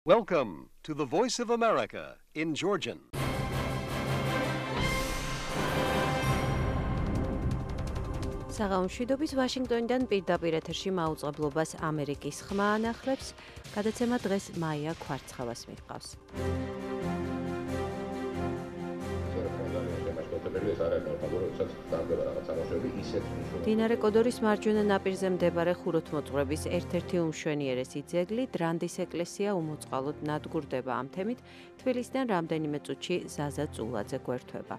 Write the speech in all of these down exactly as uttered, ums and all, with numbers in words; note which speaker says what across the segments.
Speaker 1: Welcome to the Voice of America in Georgian.
Speaker 2: საღამომშვიდობის ვაშინგტონიდან პირდაპირ ეთერში მაუწყებლობას ამერიკის ხმა ანახლებს. გადაცემა დღეს მაია ქვარცხავას მიჰყავს. დინარე კოდორის მარჯვენა ნაპირზე მდებარე ხუროთმოწყვრების ერთ-ერთი უმშვენიერესი ძეგლი დრანდის ეკლესია უმოწყალოდ ნადგურდება. ამ თემით თბილისიდან რამდენიმე წუთში ზაზა წულაძე გვერდება.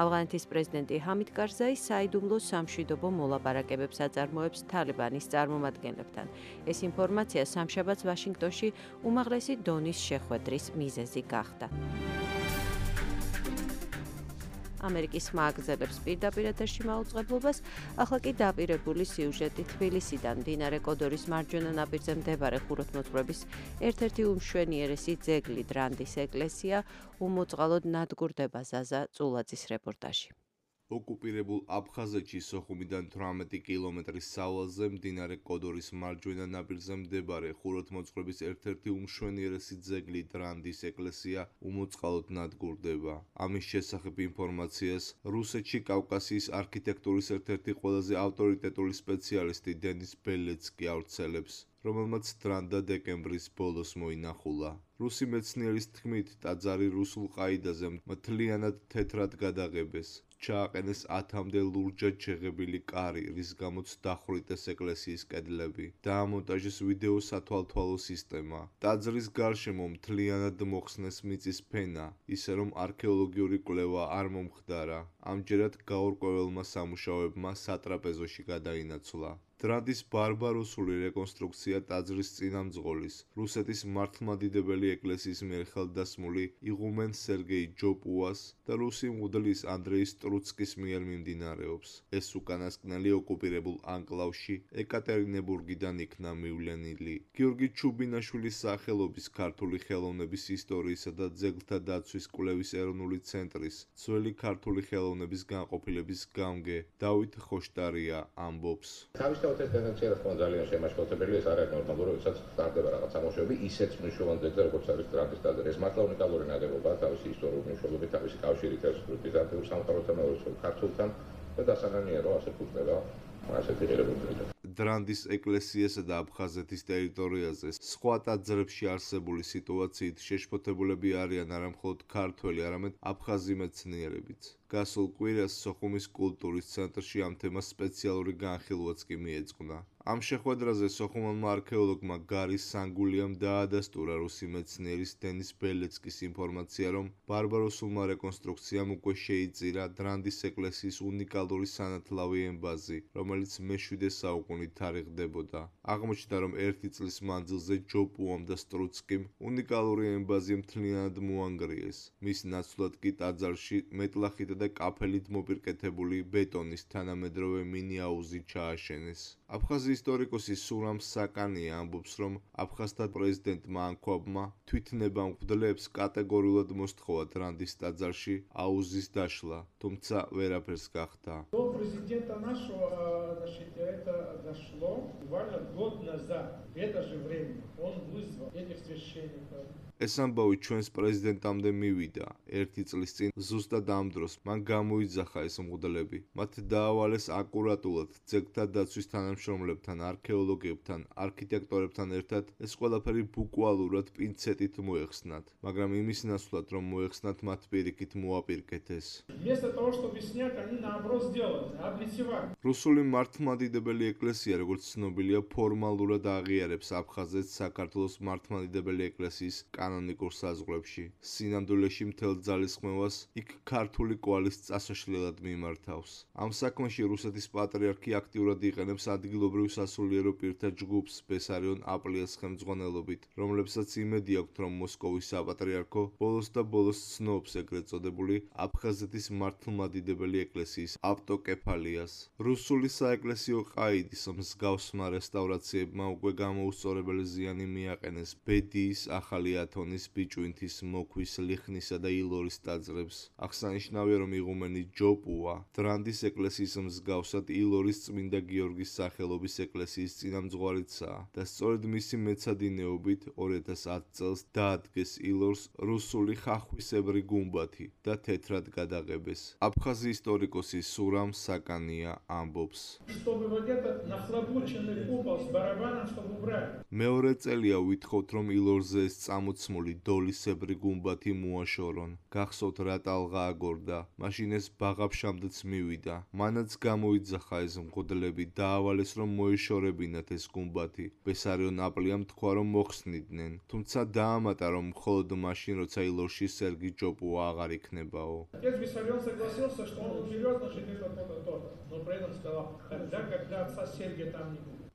Speaker 2: ავღანეთის პრეზიდენტი ჰამიდ კარზაი საიდუმლო სამშვიდობო მოლაპარაკებებს აწარმოებს თალიბანის წარმომადგენლებთან. ეს ინფორმაცია სამშაბათს ვაშინგტონში უმაღლესი დონის შეხვედრის მიზეზი გახდა. ამერიკის ხმა აგზელებს პირდაპირ ეთერში მაუწყებლობას, ახლა კი დაპირებული სიუჟეტი თბილისიდან. დინარე კოდორის მარჯვენა ნაპირზე მდებარე ხუროთმოწყვრების ერთ-ერთი უმშვენიერესი ძეგლი დრანდის ეკლესია უმოწყალოდ ნადგურდება. ზაზა წულაძის რეპორტაჟი.
Speaker 3: ოკუპირებულ აფხაზეთში სოხუმიდან თვრამეტი კილომეტრის სავალზე მდინარე კოდორის მარჯვენა ნაპირზე მდებარე ხუროთმოწყვრების ერთ-ერთი უმშვენიერესი ძეგლი დრანდის ეკლესია უმოწყალოდ ნადგურდება. ამის შესახებ ინფორმაციას რუსეთში კავკასიის არქიტექტურის ერთ-ერთი ყველაზე ავტორიტეტული სპეციალისტი დენის ბელეცკი ავრცელებს, რომელმაც დრანდა დეკემბრის ბოლოს მოინახულა. რუსი მეცნიერის თქმით, ტაძარი რუსულ ყაიდაზე მთლიანად თეთრად გადაღებეს. ჩააყენეს ათამდე ლურჯად შეღებილი კარი, რის გამოც დახვრიტეს ეკლესიის კედლები. დაამონტაჟეს ვიდეო სათვალთვალო სისტემა. ტაძრის გარშემო მთლიანად მოხსნეს მიწის ფენა, ისე რომ არქეოლოგიური კვლევა არ მომხდარა. ამჯერად გაურკვეველმა სამუშაოებმა სატრაპეზოში გადაინაცვლა. დრანდის ბარბაროსული რეკონსტრუქცია ტაძრის წინამძღოლის, რუსეთის მართლმადიდებელი ეკლესიის მიერ ხელდასმული იღუმენ სერგეი ჯოპუას და რუსი მღვდლის ანდრეი სტრუცკის მიერ მიმდინარეობს. ეს უკანასკნელი ოკუპირებულ ანკლავში ეკატერინებურგიდან იქნა მივლენილი. გიორგი ჩუბინაშვილის სახელობის ქართული ხელოვნების ისტორიისა და ძეგლთა დაცვის კვლევის ეროვნული ცენტრის ძველი ქართული ხელოვნების განყოფილების გამგე დავით ხოშტარია ამბობს.
Speaker 4: თავისთავად ეს ტენდენცია რა თქმა უნდა ძალიან შემაშფოთებელი, ეს არ არის ნორმალური, როდესაც სტარტდება რაღაც სამუშაოები ისეთ მნიშვნელოვან ძეგლზე, როგორც არის დრანდის ტაძარი. ეს მართლა უნიკალური ნაგებობა, თავისი ისტორიული მნიშვნელობით, თავისი კავშირით ერთ ბიზანტიურ სამყაროსთან, მეორე ქართულთან და დასანანია, რომ ასე ფუძნება ასეთი ღირებულებით.
Speaker 3: დრანდის ეკლესიასა და აფხაზეთის ტერიტორიაზე სხვა ტაძრებში არსებული სიტუაციით შეშფოთებულები არიან არა მხოლოდ ქართველი, არამედ აფხაზი მეცნიერებიც. გასულ კვირას სოხუმის კულტურის ცენტრში ამ თემას სპეციალური განხილვაც კი მიეძღვნა. ამ შეხვედრაზე სოხუმელმა არქეოლოგმა გარი სანგულიამ დაადასტურა რუსი მეცნიერის დენის ბელეცკის ინფორმაცია, რომ ბარბაროსულმა რეკონსტრუქციამ უკვე შეიწირა დრანდის ეკლესიის უნიკალური სანათლავი ემბაზი, რომელიც მეშვიდე საუკუნით თარიღდებოდა. აღმოჩნდა, რომ ერთი წლის მანძილზე ჯოპუამ და სტრუცკიმ უნიკალური ემბაზი მთლიანად მოანგრიეს. მის ნაცვლად კი ტაძარში მეტლახით და კაფელით მოპირკეთებული ბეტონის თანამედროვე მინი-აუზი ჩააშენეს. აფხაზი ისტორიკოსი სურამ საკანია ამბობს, რომ აფხაზთა პრეზიდენტმა ანქვაბმა თვითნება მღვდლებს კატეგორიულად მოსთხოვა დრანდის ტაძარში აუზის დაშლა, თუმცა ვერაფერს გახდა.
Speaker 5: До президента нашего, значит, это дошло буквально год назад. В это же время он вызвал этих священников.
Speaker 3: ეს ამბავი ჩვენს პრეზიდენტამდე მივიდა. ერთი წლის წინ ზუსტად ამ დროს მან გამოიძახა ეს მღვდლები. მათ დაავალეს აკურატულად ძეგლთა დაცვის თანამშრომლებთან, არქეოლოგებთან, არქიტექტორებთან ერთად ეს ყველაფერი ბუკვალურად პინცეტით მოეხსნათ, მაგრამ იმის ნაცვლად, რომ მოეხსნათ, მათ პირიქით მოაპირკეთეს.
Speaker 5: Вместо того, чтобы снять, они наоборот сделали, облицевали.
Speaker 3: რუსული მართლმადიდებელი ეკლესია, როგორც ცნობილია, ფორმალურად აღიარებს აფხაზეთს საქართველოს მართლმადიდებელი ეკლესიის კანონიკურ საზღვრებში. სინამდვილეში მთელ ძალისხმევას იქ ქართული კვალის წასაშლელად მიმართავს. ამ საქმეში რუსეთის პატრიარქი აქტიურად იყენებს ადგილობრივ სასულიერო პირთა ჯგუფს ბესარიონ აპლიას ხელმძღვანელობით, რომლებსაც იმედი აქვთ, რომ მოსკოვის საპატრიარქო ბოლოს და ბოლოს ცნობს ეგრეთ წოდებული აფხაზეთის მართლმადიდებელი ეკლესიის ავტოკეფალიას. რუსული საეკლესიო ყაიდი მსგავსმა რესტავრაციებმა უკვე გამოუსწორებელი ზიანი მიაყენეს ბედიის, ახალი ათონის, ბიჭვინთის, მოქვის, ლიხნისა და ილორის ტაძრებს. აღსანიშნავია, რომ იღუმენი ჯოპუა დრანდის ეკლესიის მსგავსად ილორის წმინდა გიორგის სახელობის ეკლესიის წინამძღვარიცაა და სწორედ მისი მეცადინეობით ორი ათას ათი წელს დაადგეს ილორს რუსული ხახვისებრი გუმბათი და თეთრად გადაღებეს. აფხაზი ისტორიკოსი სურამ საკანია ამბობს. მეორე წელია ვითხოვთ, რომ ილორზე ეს წამოცმული დოლისებრი გუმბათი მოაშორონ. გახსოვთ რა ტალღა აგორდა, მაშინ ეს ბაღაფშამდეც მივიდა. მანაც გამოიძახა ეს მღვდლები, დაავალეს, რომ მოეშორებინათ ეს გუმბათი. ბესარიო ნაპლიამ თქვა, რომ მოხსნიდნენ, თუმცა დაამატა, რომ მხოლოდ მაშინ, როცა ილორში სერგი ჯოპუა აღარ იქნებაო.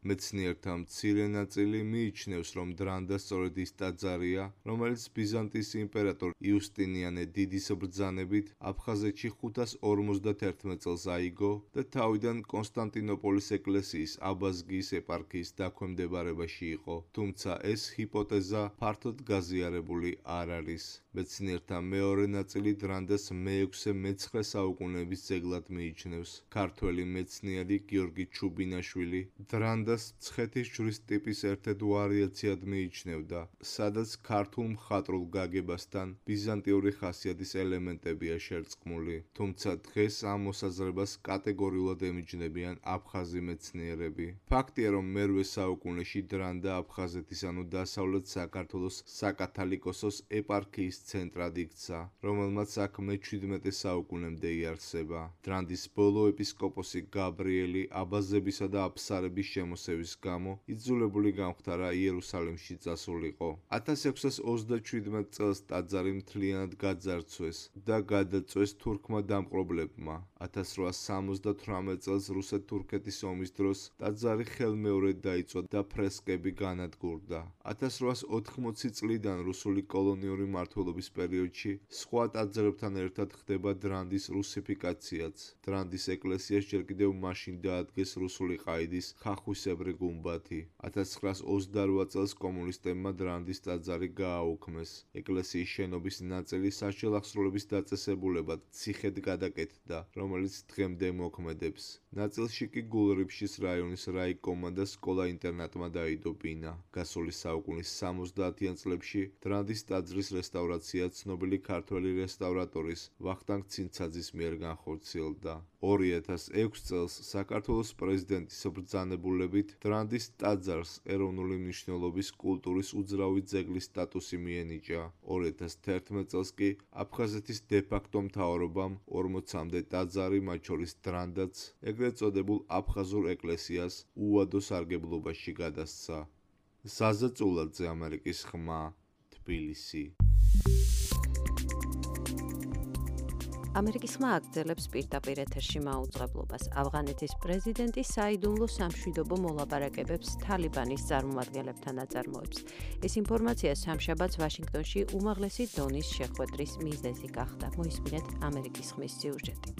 Speaker 3: მეცნიერთა მცირე ნაწილი მიიჩნევს, რომ დრანდა სწორედ ის ტაძარია, რომელიც ბიზანტიის იმპერატორ იუსტინიანე დიდის ბრძანებით აფხაზეთში ხუთას ორმოცდაერთმეტ წელს აიგო და თავიდან კონსტანტინოპოლის ეკლესიის აბაზგიის ეპარქიის დაქვემდებარებაში იყო. თუმცა ეს ჰიპოთეზა ფართოდ გაზიარებული არ არის. მეცნიერთა მეორე ნაწილი დრანდას მეექვსე მეცხრე საუკუნეების ძეგლად მიიჩნევს. ქართველი მეცნიერი გიორგი ჩუბინაშვილი დრანდა მცხეთის ჯვრის ტიპის ერთ-ერთ ვარიაციად მიიჩნევდა, სადაც ქართულ მხატვრულ გაგებასთან ბიზანტიური ხასიათის ელემენტებია შერწყმული. თუმცა დღეს ამ მოსაზრებას კატეგორიულად ემიჯნებიან აფხაზი მეცნიერები. ფაქტია, რომ მერვე საუკუნეში დრანდა აფხაზეთის ანუ დასავლეთ საქართველოს საკათალიკოსოს ეპარქიის ცენტრად იქცა, რომელმაც აქ მეჩვიდმეტე საუკუნემდე იარსება. დრანდის ბოლო ეპისკოპოსი გაბრიელი აბაზებისა და აფსარების შემოსევის გამო იძულებული გამხდარა იერუსალიმში წასულიყო. ათას ექვსას ოცდაშვიდმეტ წელს ტაძარი მთლიანად გაძარცვეს და გადაწვეს თურქმა დამპყრობლებმა. ათას რვაას სამოცდათვრამეტ წელს რუსეთ-თურქეთის ომის დროს ტაძარი ხელმეორედ დაიწვა და ფრესკები განადგურდა. ათას რვაას ოთხმოცი წლიდან რუსული კოლონიური მმართველობის პერიოდში სხვა ტაძრებთან ერთად ხდება დრანდის რუსიფიკაციაც. დრანდის ეკლესიას ჯერ კიდევ მაშინ დაადგეს რუსული ყაიდის ხახვისებრი გუმბათი. ათას ცხრაას ოცდარვა წელს კომუნისტებმა დრანდის ტაძარი გააუქმეს. ეკლესიის შენობის ნაწილი სასჯელ-აღსრულების დაწესებულებად ციხედ გადაკეთდა, რომელიც დღემდე მოქმედებს. ნაწილში კი გულრიფშის რაიონის რაიკომმა და სკოლა-ინტერნატმა დაიდო ბინა. გასული საუკუნის სამოცდაათიან წლებში დრანდის ტაძრის რესტავრაცია ცნობილი ქართველი რესტავრატორის ვახტანგ ცინცაძის მიერ განხორციელდა. ორი ათას ექვს წელს საქართველოს პრეზიდენტის ბრძანებულებით დრანდის ტაძარს ეროვნული მნიშვნელობის კულტურის უძრავი ძეგლის სტატუსი მიენიჭა. ორი ათას თერთმეტ წელს კი აფხაზეთის დე-ფაქტო მთავრობამ ორმოცამდე ტაძარი, მათ შორის დრანდაც, ეგრეთ წოდებულ აფხაზურ ეკლესიას უადო სარგებლობაში გადასცა. ზაზა წულაძე, ამერიკის ხმა, თბილისი.
Speaker 2: ამერიკის ხმა აგრძელებს პირდაპირ ეთერში მაუწყებლობას. ავღანეთის პრეზიდენტი საიდუმლო სამშვიდობო მოლაპარაკებებს თალიბანის წარმომადგენლებთან აწარმოებს. ეს ინფორმაცია სამშაბათს ვაშინგტონში უმაღლესი დონის შეხვედრის მიზეზი გახდა. მოისმინეთ ამერიკის ხმის სიუჟეტი.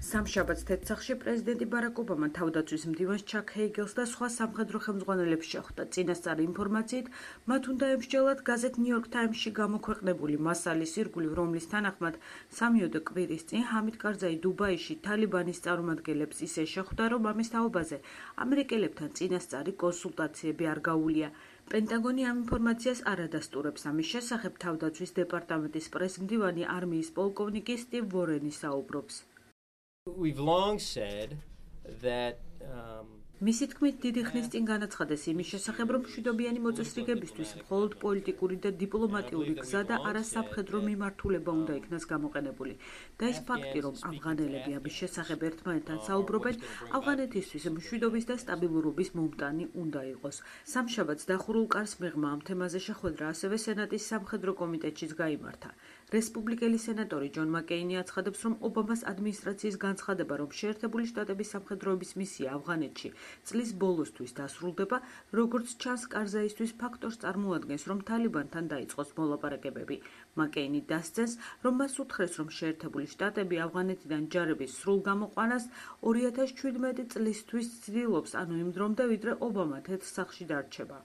Speaker 6: სამშაბათს თეთრსახში პრეზიდენტი ბარაკ ობამა თავდაცვის მდივანს ჩაკ ჰეიგელს და სხვა სამხედრო ხელმძღვანელებს შეხვდა. წინასწარი ინფორმაციით, მათ უნდა ემსჯელათ გაზეთ ნიუ-იორკ ტაიმსში გამოქვეყნებული მასალის ირგვლივ, რომლის თანახმად სამიოდე კვირის წინ ჰამიდ კარზაი დუბაიში თალიბანის წარმომადგენლებს ისე შეხვდა, რომ ამის თაობაზე ამერიკელებთან წინასწარი კონსულტაციები არ გაუვლია. პენტაგონი ამ ინფორმაციას არ ადასტურებს. ამის შესახებ თავდაცვის დეპარტამენტის პრესმდივანი არმიის პოლკოვნიკი სტივ ვორენი საუბრობს.
Speaker 7: We've long said that um
Speaker 6: მისი თქმით, დიდი ხნის წინ განაცხადეს იმის შესახებ, რომ მშვიდობიანი მოწესრიგებისთვის მხოლოდ პოლიტიკური და დიპლომატიური გზა და არა სამხედრო მიმართულება უნდა იქნას გამოყენებული. და ის ფაქტი, რომ ავღანელები ამის შესახებ ერთმანეთთან საუბრობენ, ავღანეთისთვის მშვიდობის და სტაბილურობის მომტანი უნდა იყოს. სამშაბათს დახურულ კარს მიღმა ამ თემაზე შეხვედრა ასევე სენატის სამხედრო კომიტეტშიც გაიმართა. რესპუბლიკელი სენატორი ჯონ მაკეინი აცხადებს, რომ ობამას ადმინისტრაციის განცხადება, რომ შეერთებული შტატების სამხედროების მისია ავღანეთში წლის ბოლოსთვის დასრულდება, როგორც ჩანს, კარზაისთვის ფაქტორს წარმოადგენს, რომ თალიბანთან დაიწყოს მოლაპარაკებები. მაკეინი დასძენს, რომ მას უთხრეს, რომ შეერთებული შტატები ავღანეთიდან ჯარების სრულ გამოყვანას ორი ათას ჩვიდმეტი წლისთვის ცდილობს, ანუ იმ დრომდე, ვიდრე ობამა თეთრ სახლში დარჩება.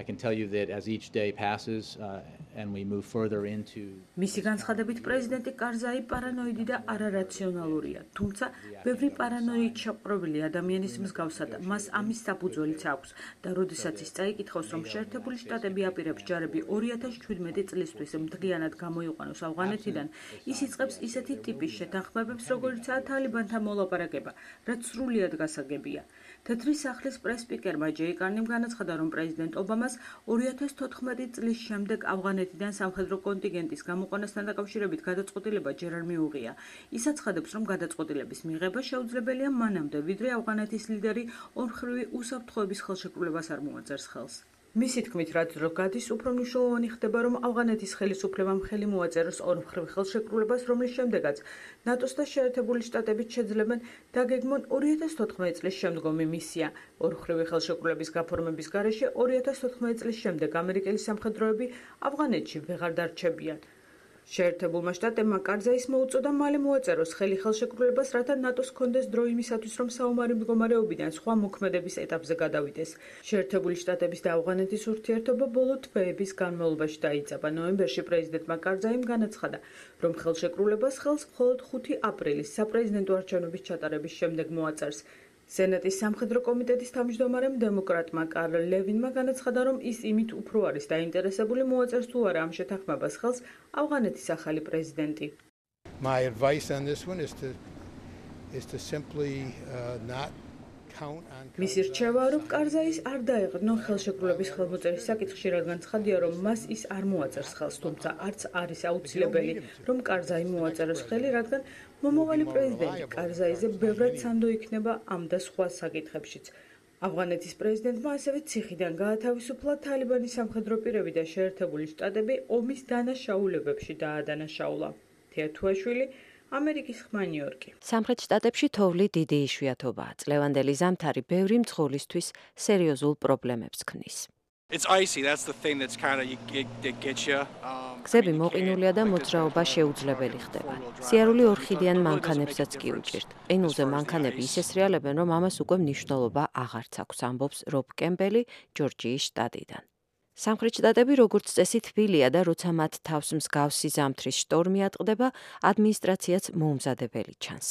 Speaker 8: I can tell you that as each day passes uh, and we move further into
Speaker 6: მისი განცხადებით პრეზიდენტი კარზაი პარანოიდი და არარაციონალურია, თუმცა ბევრი პარანოიდ შეყრობილი ადამიანის მსგავსად მას ამის საფუძველიც აქვს და როდესაც ის წაიკითხავს, რომ შეერთებული შტატები აპირებს ჯარები ორი ათას ჩვიდმეტი წლისთვის მთლიანად გამოიყვანოს ავღანეთიდან, ის იწყებს ისეთი ტიპის შეთანხმებებს, როგორიცაა თალიბანთან მოლაპარაკება, რაც სრულიად გასაგებია. თეთრი სახლის პრეს-სპიკერმა ჯეი კარნიმ განაცხადა, რომ პრეზიდენტ ობამას ორი ათას თოთხმეტი წლის შემდეგ ავღანეთიდან სამხედრო კონტინგენტის გამოყვანასთან დაკავშირებით გადაწყვეტილება ჯერ არ მიუღია. ის აცხადებს, რომ გადაწყვეტილების მიღება შეუძლებელია მანამდე, ვიდრე ავღანეთის ლიდერი ორმხრივი უსაფრთხოების ხელშეკრულებას არ მოაწერს ხელს. მისი თქმით, რაც დრო გადის, უფრო მნიშვნელოვანი ხდება, რომ ავღანეთის ხელისუფლებამ ხელი მოაწეროს ორმხრივ ხელშეკრულებას, რომლის შემდეგაც ნატოს და შეერთებული შტატებით შეძლებენ დაგეგმონ ორი ათას თოთხმეტი წლის შემდგომი მისია. ორმხრივი ხელშეკრულების გაფორმების გარეშე ორი ათას თოთხმეტი წლის შემდეგ ამერიკელი სამხედროები ავღანეთში ვეღარ დარჩებიან. შეერთებულმა შტატებმა კარზაის მოუწოდა მალე მოაწეროს ხელი ხელშეკრულებას, რათა ნატოს ჰქონდეს დრო იმისათვის, რომ საომარი მდგომარეობიდან სხვა მოქმედების ეტაპზე გადავიდეს. შეერთებული შტატების და ავღანეთის ურთიერთობა ბოლო თვეების განმავლობაში დაიწყება. ნოემბერში პრეზიდენტმა კარზაიმ განაცხადა, რომ ხელშეკრულებას ხელს მხოლოდ ხუთი აპრილის საპრეზიდენტო არჩევნების ჩატარების შემდეგ მოაწერს. სენატის სამხედრო კომიტეტის თავმჯდომარემ დემოკრატმა კარლ ლევინმა განაცხადა, რომ ის იმით უფრო არის დაინტერესებული მოაწერს თუ არა ამ შეთანხმებას ხელს ავღანეთის ახალი პრეზიდენტი.
Speaker 9: My advice on this one is to is to simply uh, not count on
Speaker 6: მისი რჩევა, რომ კარზაის არ დაეღრნო ხელშეკრულების ხელმოწერის საკითხში, რადგან ცხადია, რომ მას ის არ მოაწერს ხელს, თუმცა არც არის აუცილებელი, რომ კარზაი მოაწეროს ხელი, რადგან მომავალი პრეზიდენტი კარზაიზე ბევრად სანდო იქნება ამ და სხვა საკითხებშიც. ავღანეთის პრეზიდენტმა ასევე ციხიდან გაათავისუფლა თალიბანის სამხედრო პირები და შეერთებული შტატები ომის დანაშაულებებში დაადანაშაულა. თეა თუაშვილი, ამერიკის ხმა ნიუ-იორკი.
Speaker 2: სამხრეთ შტატებში თოვლი დიდი იშვიათობაა. წლევანდელი ზამთარი ბევრი მძღოლისთვის სერიოზულ პრობლემებს ქმნის.
Speaker 10: It's icy, that's the thing that's kind of it gets you.
Speaker 2: გზები მოყინულია და მოძრაობა შეუძლებელი ხდება. სიარული ორხიდიან მანქანებსაც კი უჭირთ. ყინულზე მანქანები ისე სრიალებენ, რომ ამას უკვე მნიშვნელობა აღარც აქვს, ამბობს რობ კემბელი ჯორჯიის შტატიდან. სამხრეთ შტატები როგორც წესი თბილია და როცა მათ თავს მსგავსი ზამთრის შტორმი ატყდება, ადმინისტრაციაც მოუმზადებელი ჩანს.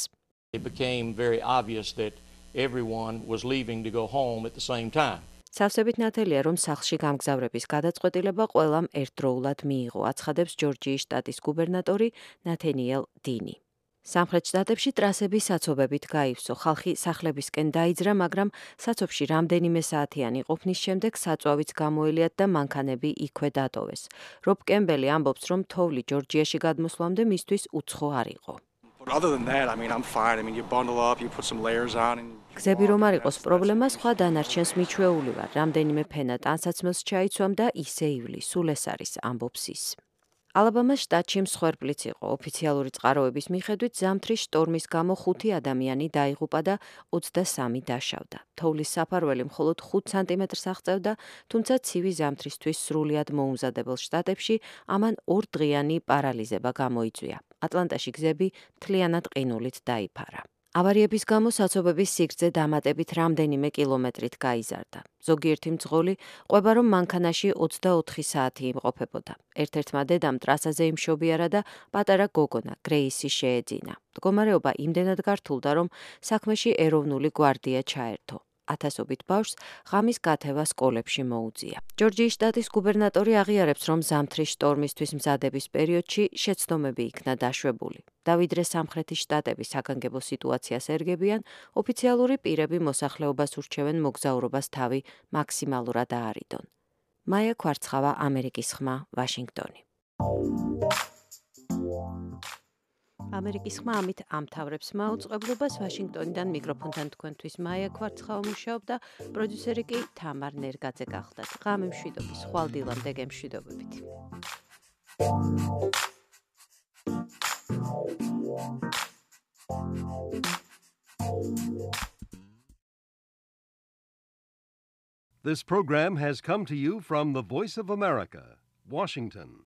Speaker 11: It became very obvious that everyone was leaving to go home at the same time.
Speaker 2: სავსებით ნათელია, რომ სახლში გამგზავრების გადაწყვეტილება ყველამ ერთდროულად მიიღო, აცხადებს ჯორჯიის შტატის გუბერნატორი ნათენიელ დინი. სამხრეთ შტატებში ტრასები საცობებით გაივსო, ხალხი სახლებისკენ დაიძრა, მაგრამ საცობში რამდენიმე საათიანი ყოფნის შემდეგ საწვავიც გამოელიათ და მანქანები იქვე დატოვეს. რობ კემბელი ამბობს, რომ თოვლი ჯორჯიაში გადმოსვლამდე მისთვის უცხო არ იყო.
Speaker 10: Other than that, I mean, I'm fine. I mean, you bundle up, you put some layers on and
Speaker 2: გზები რომ არ იყოს პრობლემა, სხვა დანარჩენს მიჩვეული ვარ. რამდენიმე ფენა ტანსაცმელს ჩაიცვამ და ისე ივლი, სულ ეს არის, ამბობს ის. ალაბამას შტატში მსხვერპლიც იყო. ოფიციალური წყაროების მიხედვით ზამთრის შტორმის გამო ხუთი ადამიანი დაიღუპა და ოცდასამი დაშავდა. თოვლის საფარველი მხოლოდ ხუთ სანტიმეტრს აღწევდა, თუმცა ცივი ზამთრისთვის სრულიად მოუმზადებელ შტატებში ამან ორდღიანი პარალიზება გამოიწვია. ატლანტაში გზები მთლიანად ყინულით დაიფარა. ავარიების გამო საცობების სიგრძე დამატებით რამდენიმე კილომეტრით გაიზარდა. ზოგიერთი მძღოლი ყვება, რომ მანქანაში ოცდაოთხი საათი იმყოფებოდა. ერთ-ერთმა დედამ ტრასაზე იმშობიარა და პატარა გოგონა გრეისი შეეძინა. მდგომარეობა იმდენად გართულდა, რომ საქმეში ეროვნული გვარდია ჩაერთო. ათასობით ბავშვს ღამის გათევა სკოლებში მოუწია. ჯორჯიის შტატის გუბერნატორი აღიარებს, რომ ზამთრის შტორმისთვის მზადების პერიოდში შეცდომები იქნა დაშვებული. და ვიდრე სამხრეთის შტატები საგანგებო სიტუაციას ერგებიან, ოფიციალური პირები მოსახლეობას ურჩევენ მოგზაურობას თავი მაქსიმალურად აარიდონ. მაია ქვარცხავა, ამერიკის ხმა, ვაშინგტონი. ამერიკის ხმა ამით ამთავრებს მაუწყებლობას. ვაშინგტონიდან მიკროფონთან თქვენთვის მაია ქვარცხავა მუშაობდა, პროდიუსერი კი თამარ ნერგაძე გახლდათ. ღამე მშვიდობის, ხვალდილამდე გემშვიდობებით.
Speaker 1: This program has come to you from the Voice of America, Washington.